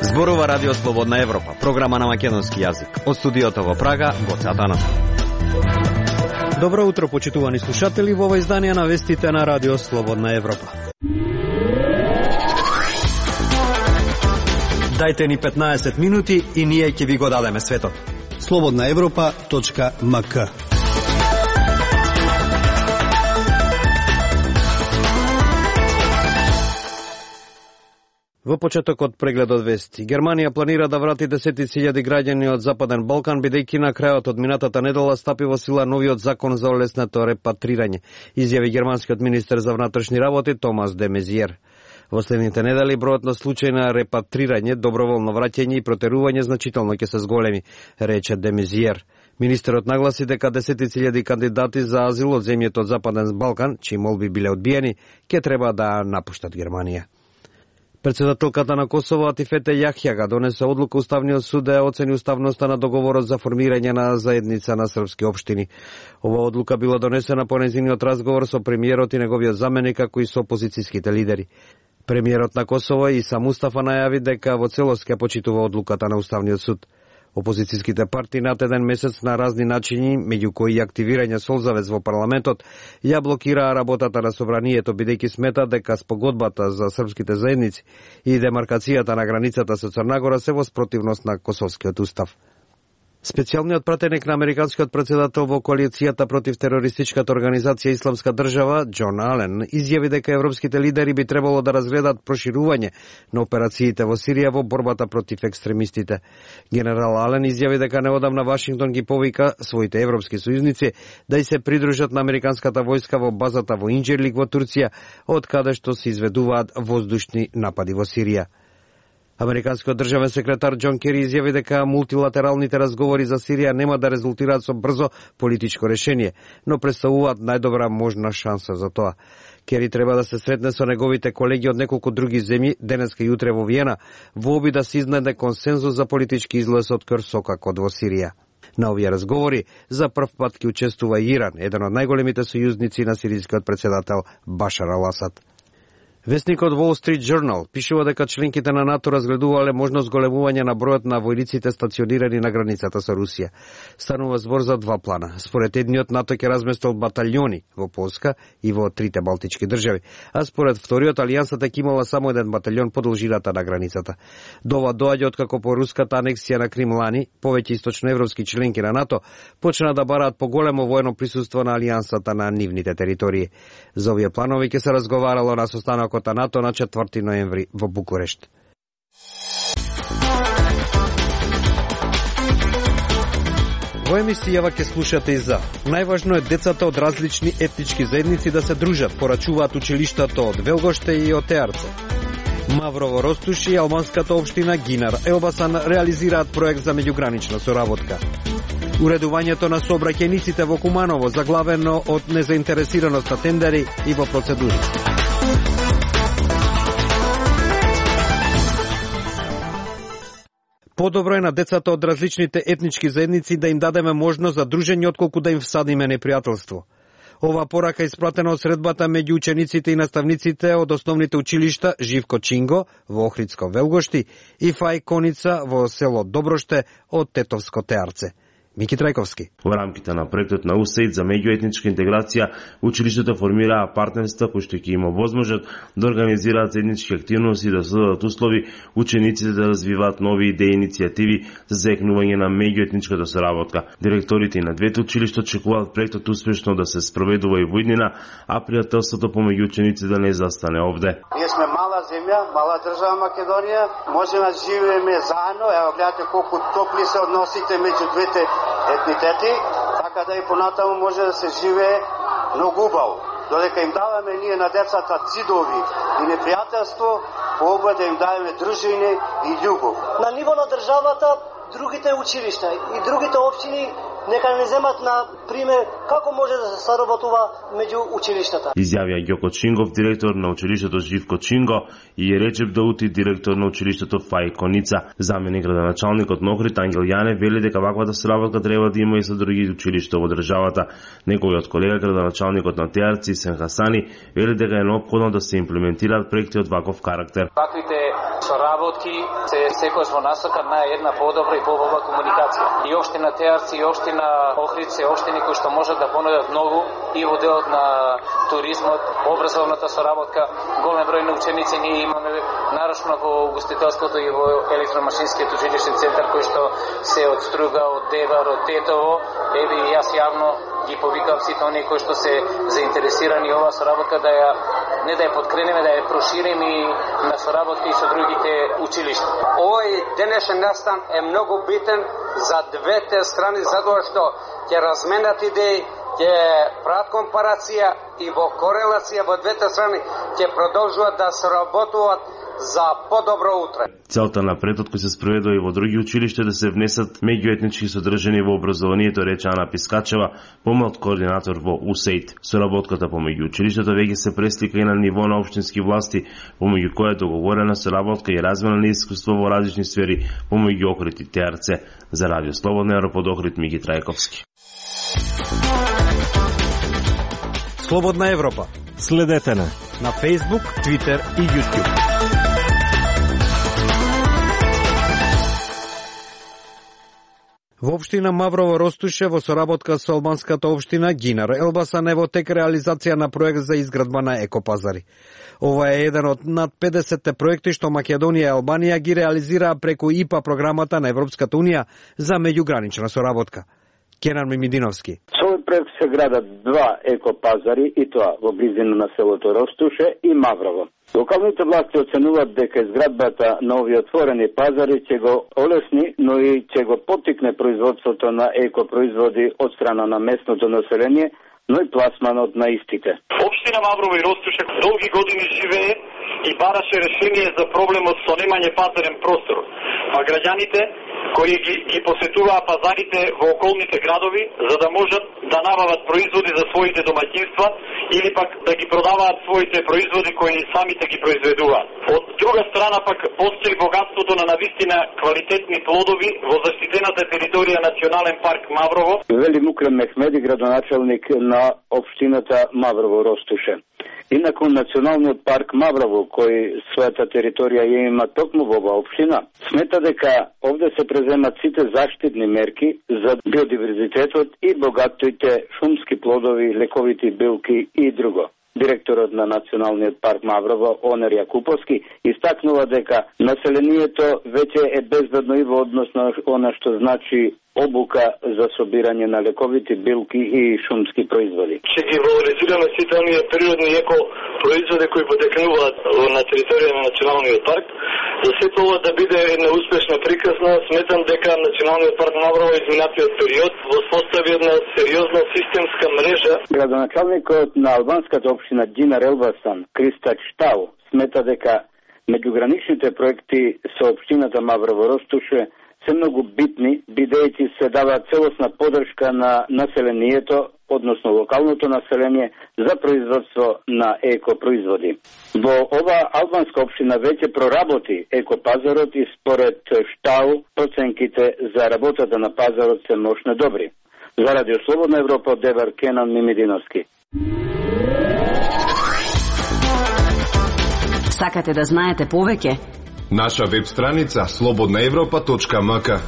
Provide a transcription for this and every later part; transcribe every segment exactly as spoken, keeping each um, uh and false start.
Зборува Радио Слободна Европа, програма на македонски јазик. Од студиото во Прага, Гоце Атанасов. Добро утро, почитувани слушатели, во ова издание на вестите на Радио Слободна Европа. Дајте ни петнаесет минути и ние ќе ви го дадеме светот. слободна европа точка ем ка. Во почетокот преглед од вести. Германија планира да врати десетици илјади граѓани од Западен Балкан, бидејќи на крајот од минатата недела стапи во сила новиот закон за олеснето репатрирање, изјави германскиот министер за внатрешни работи Томас де Мезиер. Во следните недели бројот на случаи на репатрирање, доброволно враќање и протерување значително ќе се зголеми, рече де Мезиер. Министерот нагласи дека десетици илјади кандидати за азил од земјите од Западен Балкан, чии молби биле одбиени, ќе треба да напуштат Германија. Председателката на Косово Атифете Јахјага донесе одлука Уставниот суд да ја оцени уставноста на договорот за формирање на заедница на српски општини. Ова одлука била донесена по нејзиниот разговор со премиерот и неговиот заменик, како и со опозицијските лидери. Премиерот на Косово Иса Мустафа најави дека во целост ќе почитува одлуката на Уставниот суд. Опозицијските партии над еден месец на разни начини, меѓу кои и активирање солзавез во парламентот, ја блокираа работата на собранието, бидејќи смета дека спогодбата за српските заедници и демаркацијата на границата со Црнагора се во спротивност на Косовскиот устав. Специјалниот пратеник на американскиот председател во коалицијата против терористичката организација Исламска држава, Џон Ален, изјави дека европските лидери би требало да разгледат проширување на операциите во Сирија во борбата против екстремистите. Генерал Ален изјави дека неодамна Вашингтон ги повика своите европски сојузници да и се придружат на американската војска во базата во Инџирлик во Турција, од каде што се изведуваат воздушни напади во Сирија. Американскиот државен секретар Џон Кери изјави дека мултилатералните разговори за Сирија нема да резултираат со брзо политичко решение, но представуваат најдобра можна шанса за тоа. Кери треба да се сретне со неговите колеги од неколку други земји денеска и утре во Виена, во обид да се изнеде консензус за политички излез од Керсокакот во Сирија. На овие разговори за прв пат ќе учествува и Иран, еден од најголемите сојузници на сирискиот председател Башар ал-Асад. Вестникот Wall Street Journal пишува дека членките на НАТО разгледувале можност големување на бројот на војниците стационирани на границата со Русија. Станува збор за два плана. Според едниот, НАТО ќе разместил баталјони во Полска и во трите балтички држави, а според вториот, алијансата ќе имала само еден баталјон по должината на границата. Дова доаѓа откако по руската анексија на Крим лани, повеќе источноевропски членки на НАТО почна да бараат поголемо воено присуство на алијансата на нивните територии. За овие планови ќе се разговарало на состанок на НАТО на четврти ноември во Букурешт. Во емисијава ќе слушате и за најважно е децата од различни етнички заедници да се дружат, порачуваат училиштата од Велгоште и од Теарце. Маврово Ростуш и албанската општина Гинар Елбасан реализираат проект за меѓугранична соработка. Уредувањето на сообраќајниците во Куманово заглавено од незаинтересираност на тендери и во процедури. Подобро е на децата од различните етнички заедници да им дадеме можност за дружење отколку да им всадиме непријателство. Ова порака испратена од средбата меѓу учениците и наставниците од основните училишта Живко Чинго во Охридско Велгошти и Фај Коница во село Доброште од Тетовско Теарце. Мики Трајковски. Во рамките на проектот на УСАИД за меѓуетничка интеграција, училиштата формираа партнерства кои што ќе има возможност да организираат заеднички активности и да создадат услови учениците да развиваат нови идеи и иницијативи за заекнување на меѓуетничката соработка. Директорите и на двете училишта очекуваат проектот успешно да се спроведува и во иднина, а пријателството помеѓу ученици да не застане овде. Ние сме мала земја, мала држава Македонија, можеме да живееме заедно, ево гледате колку топли се односите меѓу двете етнитети, така да и понатаму може да се живее многу убаво. Додека им даваме ние на децата цидови и непријателство, по обе да им даваме дружина и љубов. На ниво на државата другите училишта и другите општини нека не земат на пример како може да се соработува меѓу училиштата. Изјавија Ѓоко Чингов, директор на училиштето Живко Чинго, и Речеп Даути, директор на училиштето Фајко Ница. Заменик градоначалникот на Охрид Ангел Јане вели дека ваквата соработка треба да има и со други училишта во државата. Неговиот колега градоначалникот на Теарци Сен Хасани вели дека е неопходно да се имплементираат проекти од ваков карактер. Таквите соработки се секој во насока на една подобра и побоба комуникација. И општина Теарци и општина Охрид се општини кои што можат да понудат многу и во делот на туризмот, образовната соработка, голем број на ученици. Ние имаме нарочно во угостителското и во електромашинскиот училишен центар кој што се од Струга, од Дебар, од Тетово. Еве и јас јавно ги повикам сите оние кои што се заинтересирани оваа соработка да ја не да ја подкренеме, да ја прошириме и на соработка и со другите училишта. Овој денешен настан е многу битен за двете страни затоа што ќе разменат идеи, ќе прават компарација и во корелација во двете страни ќе продолжуваат да соработуваат за подобро утре. Целта на претод кој се спроведува и во други училишта да се внесат меѓуетнички содржини во образованието, рече Ана Пискачева, помлад координатор во УСЕЙТ. Соработката помеѓу училиштата веќе се преслика и на ниво на општински власти, помеѓу која е договорена соработка и размена на искуство во различни сфери помеѓу Охрид и Теарце. За Радио Слободна Европа од Охрид Миги Трајковски. Слободна Европа. Следете на на Facebook, Twitter и YouTube. Во општина Маврово Ростуше во соработка со албанската општина Гинар Елбасан е во тек реализација на проект за изградба на екопазари. Ова е еден од над педесет проекти што Македонија и Албанија ги реализираа преку ИПА програмата на Европската унија за меѓугранична соработка. Кенан Мимидиновски. Со овој проект се градат два екопазари и тоа во близина на селото Ростуше и Маврово. Локалните власти оценуваат дека изградбата на овие отворени пазари ќе го олесни, но и ќе го поттикне производството на екопроизводи од страна на местното население, но и пласманот на истите. Општина Маврово и Ростуше долги години живее и бараше решение за проблемот со немање пазарен простор, а граѓаните кои ги, ги посетуваат пазарите во околните градови за да можат да набават производи за своите домаќинства или пак да ги продаваат своите производи кои самите ги произведуваат. Од друга страна пак постои богатството на навистина квалитетни плодови во заштитената територија Национален парк Маврово. Вели Мукрем Мехмеди, градоначалник на општината Маврово Ростуше. Инаку Националниот парк Маврово, кој својата територија ја има токму во оваа општина, смета дека овде се преземат сите заштитни мерки за биодиверзитетот и богатите шумски плодови, лековити билки и друго. Директорот на Националниот парк Маврово, Онер Јакуповски, истакнува дека населението веќе е безбедно и во однос на она што значи обука за собирање на лековити билки и шумски производи. Ќе ги валоризираме сите оние природни еко производи кои потекнуваат на територија на Националниот парк. За сето ова да биде една успешна приказна, сметам дека Националниот парк Маврово изминатиот период воспостави една сериозна системска мрежа. Градоначалникот на албанската општина Динар Елбасан, Криста Штау, смета дека меѓуграничните проекти со општината Маврово Ростуше се многу битни, бидејќи се дава целосна подршка на населението, односно локалното население, за производство на екопроизводи. Во ова албанска општина веќе проработи екопазарот и според Штау проценките за работата на пазарот се мощно добри. За Радио Слободна Европа од Девар, Кенан Мимидиновски. Сакате да знаете повеќе? Наша веб страница слободна европа точка ем ка.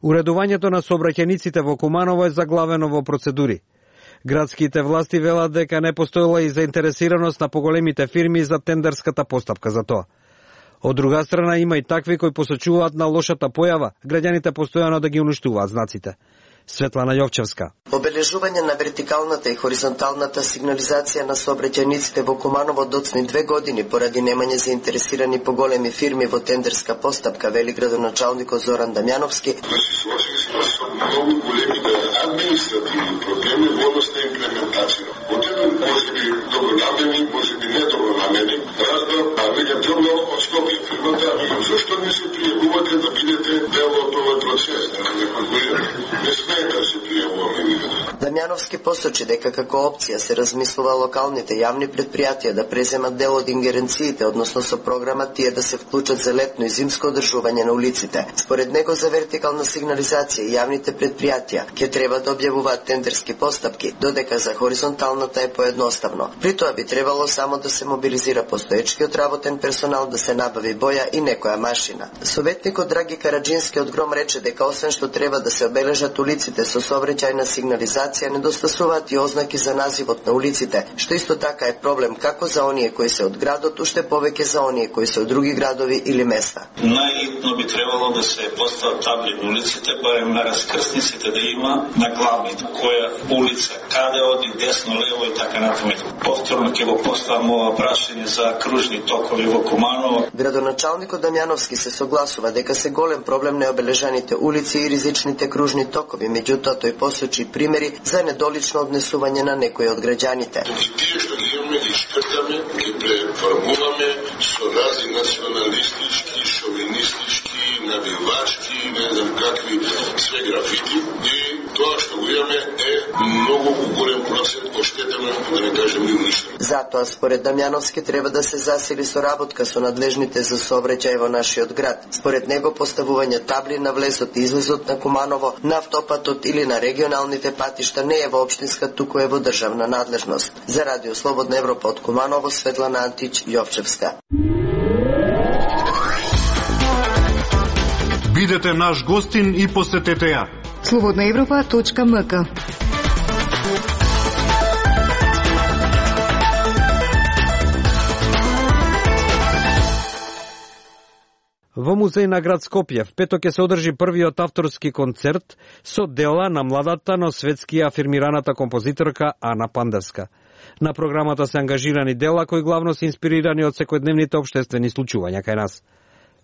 Уредувањето на сообраќајниците во Куманово е заглавено во процедури. Градските власти велат дека не постоела и заинтересираност на поголемите фирми за тендерската постапка за тоа. Од друга страна има и такви кои посочуваат на лошата појава, граѓаните постојано да ги уништуваат знаците. Светлана Јовчевска. Обележување на вертикалната и хоризонталната сигнализација на сообраќајниците во Куманово доцни две години поради немање заинтересирани поголеми фирми во тендерска постапка, вели градоначалникот Зоран Дамјановски. Соочени сме со многу големите административни проблеми во однос на имплементација. Од еден можеби добронамерни, можеби недобронамерни, разбор, а веќе требно од Скопје фирмата, зашто не се пријавувате да бидете дел од овој процес, не смеете да се пријавуваме. Дамјановски посочи дека како опција се размислува локалните јавни предпријатија да преземат дел од ингеренциите, односно со програмат тие да се вклучат за летно и зимско одржување на улиците. Според него за вертикална сигнализација јавните предпријатија ќе треба да објавуваат тендерски постапки, додека за хоризонталната е поедноставно. При тоа би требало само да се мобилизира постоечкиот работен персонал, да се набави боја и некоја машина. Советникот Драги Караджински од Гром рече дека освен што треба да се обележат улиците со сообраќајна сигнализација, недостасуваат и ознаки за називот на улиците, што исто така е проблем како за оние кои се од градот, уште повеќе за оние кои се од други градови или места. Најитно би требало да се постават табли на улиците, барем на раскрсниците да има на главните, која улица, каде оди, десно, лево и така натаму. Повторно ќе го поставам ова прашање за кружни токови во Куманово. Градоначалникот Дамјановски се согласува дека се голем проблем необележаните улици и ризичните кружни токови, меѓутоа тој посочи примери за недолично однесување на некои од граѓаните. И тие што ги имаме ги шкртаме, ги преформуваме со разни националистички, шовинистички, навивачки, не знам какви све графити, и тоа што го имаме е многу голем процент оштетено, да не кажем и уништено. Затоа според Дамјановски треба да се засили соработка со надлежните за сообраќај во нашиот град. Според него поставување табли на влезот и излезот на Куманово, на автопатот или на регионалните патишта не е во општинска, туку е во државна надлежност. За Радио Слободна Европа од Куманово, Светлана Антич Јовчевска. Бидете наш гостин и посетете ја. слободна европа точка ем ка. Во музеј на град Скопје в петок ќе се одржи првиот авторски концерт со дела на младата, но светски афирмираната композиторка Ана Пандевска. На програмата се ангажирани дела кои главно се инспирирани од секојдневните општествени случувања кај нас.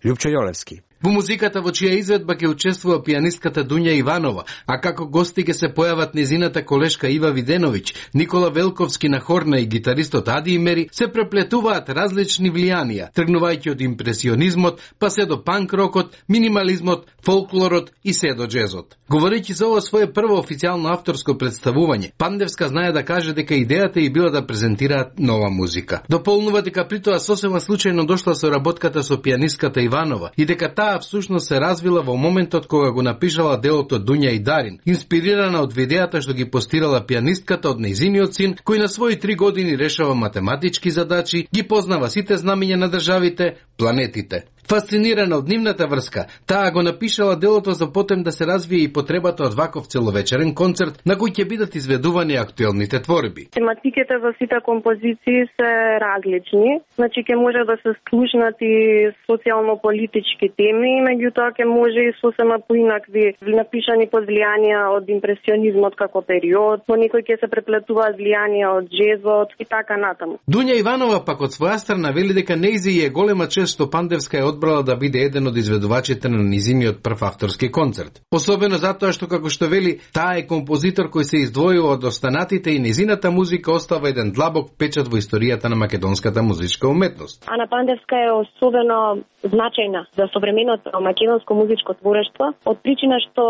Љупчо Јолевски. Во музиката во чија изведба ќе учествува пијанистката Дуња Иванова, а како гости ќе се појават незината колешка Ива Виденовиќ, Никола Велковски на хорна и гитаристот Ади Имери, се преплетуваат различни влијанија, тргнувајќи од импресионизмот, па се до панк-рокот, минимализмот, фолклорот и се до джезот. Говорејќи за ова свое прво официјално авторско представување, Пандевска знае да каже дека идејата и била да презентираат нова музика. Дополнува дека при тоа сосема случајно дошла со работката со пијанистката Иванова и дека таа всушност се развила во моментот кога го напишала делото Дуња и Дарин, инспирирана од видеата што ги постирала пијанистката од нејзиниот син, кој на своји три години решава математички задачи, ги познава сите знамиња на државите, планетите. Фасцинирана од нивната врска, таа го напишала делото за потем да се развие и потребата од ваков целовечерен концерт на кој ќе бидат изведувани актуелните творби. Тематиките во сите композиции се различни, значи ќе може да се слушнат и социјално-политички теми, меѓутоа ќе може и сосема поинакви напишани под влијанија од импресионизмот како период, по некој ќе се преплетуваат влијанија од джезот и така натаму. Дуња Иванова пак од своја страна вели дека нејзи е голема чест што Пандевска е одбрала да биде еден од изведувачите на низиниот прв авторски концерт. Особено затоа што, како што вели, таа е композитор кој се издвојува од останатите и низината музика остава еден длабок печат во историјата на македонската музичка уметност. Ана Пандевска е особено значајна за современото македонско музичко творештво, од причина што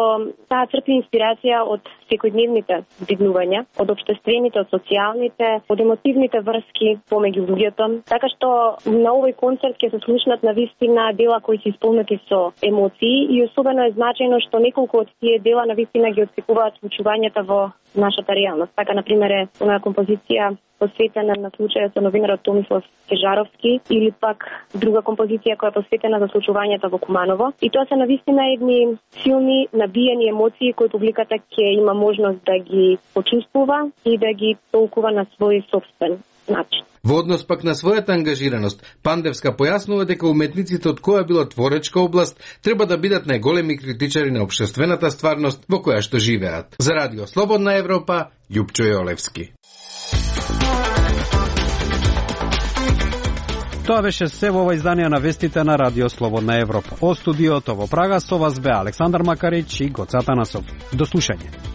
таа црпи инспирација од секојдневните здигнувања, од општествените, од социјалните, од емотивните врски помеѓу луѓето, така што на овој концерт ќе се слушнат на вистина дела кои се исполнети со емоции и особено е значајно што неколку од тие дела на вистина ги отсекуваат случувањата во нашата реалност. Така, например, е онаа композиција посветена на случајот со новинарот Томислав Кежаровски или пак друга композиција која е посветена за случувањата во Куманово. И тоа се навистина едни силни, набиени емоции кои публиката ќе има можност да ги почувствува и да ги толкува на свој собствен начин. Во однос пак на својата ангажираност, Пандевска појаснува дека уметниците од која било творечка област треба да бидат најголеми критичари на општествената стварност во која што живеат. За Радио Слободна Европа, Љупчо Јолевски. Тоа беше се во ова издание на вестите на Радио Слободна Европа. О студиото во Прага со вас бе Александар Макарич и Гоце Атанасов. До слушање.